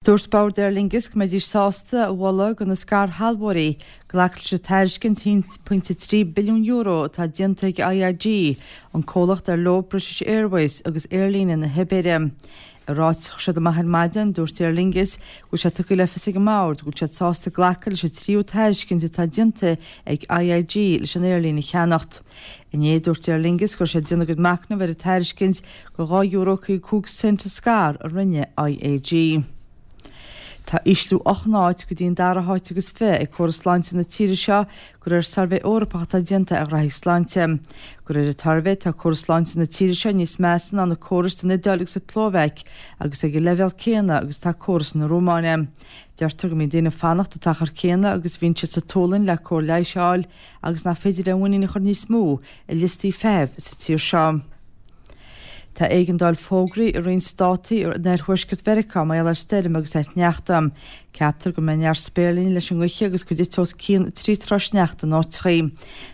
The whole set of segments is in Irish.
Dúirt Bord Aer Lingus go mbeidís sásta a mholadh do na scairshealbhóirí glacadh leis an tairiscint €1.3 billiún atá déanta ag IAG, an comhlacht ar leo British Airways agus aerlíne na hIbéire. I ráiteas a chuir siad amach ar maidin, dúirt Aer Lingus go bhfuil sé tugtha le fios ag an mBord go bhfuil siad sásta glacadh leis an tríú tairiscint atá déanta ag IAG leis an aerlíne a cheannacht. Inné, dúirt Aer Lingus go raibh siad ag déanamh a gcuid machnaimh ar an tairiscint de €2.55 a scair a rinne IAG. Tá ísliú 8 n-áit go dtí an dara háit agus 20 ag córas sláinte na tíre seo de réir suirbhé Eorpach atá déanta ar ghraithí sláinte. De réir an tsuirbhé tá córas sláinte na tíre seo níos measa ná na córais san Iodáil agus sa tSlóvaic agus ag an leibhéal céanna agus atá córas na Rómáine. Deirtear go mbíonn daoine ag fanacht an t-achar céanna agus a bhíonn siad sa tSualainn le cóir leighis a fháil agus nach féidir aon mhuinín a chur níos mó i liostaí feithimh sa tír seo. Tá éigeandáil fógraithe i roinnt státaí in oirthuaisceart Mheiriceá mar gheall ar stoirm agus ar shneachta. Ceaptar go mbeidh neart spéirlíní leis an ngaoth agus go dtitfidh os cionn 3 troigh sneachta in áiteachaí.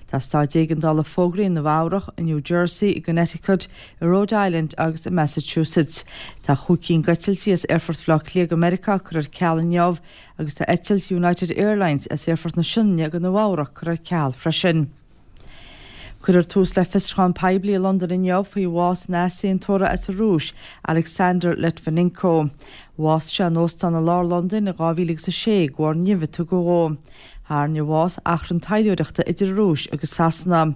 Tá staid éigeandála fógraithe i Nua Eabhrach, i New Jersey, i gConnecticut, i Rhode Island agus i Massachusetts. Tá chúig cinn d'eitiltí as Aerfort Bhaile Átha Cliath go Meiriceá curtha ar ceal inniu agus tá eitilt United Airlines as Aerfort na Sionainne go Nua Eabhrac curtha ar ceal freisin. Cuirfear tús le fiosrúchán poiblí i Londain inniu faoi bhás an easaontóra as an Rúis, Alexander Litvinenko. Bhásaigh sé in óstán i lár Londain in 2006 de bharr nimh a tugadh dhó. Tharraing a bhás achrann taidhleoireachta idir an Rúis agus Sasana.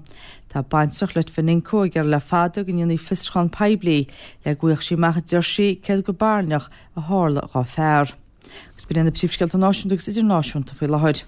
Tá baintreach Litvinenko ag iarraidh le fada go ndéanfaí fiosrúchán poiblí le go bhfaigheadh sí amach, a deir sí, céard go barainneach a tharla dhá fear. Agus b'in iad na príomhscéalta náisiúnta agus idirnáisiúnta faoi láthair.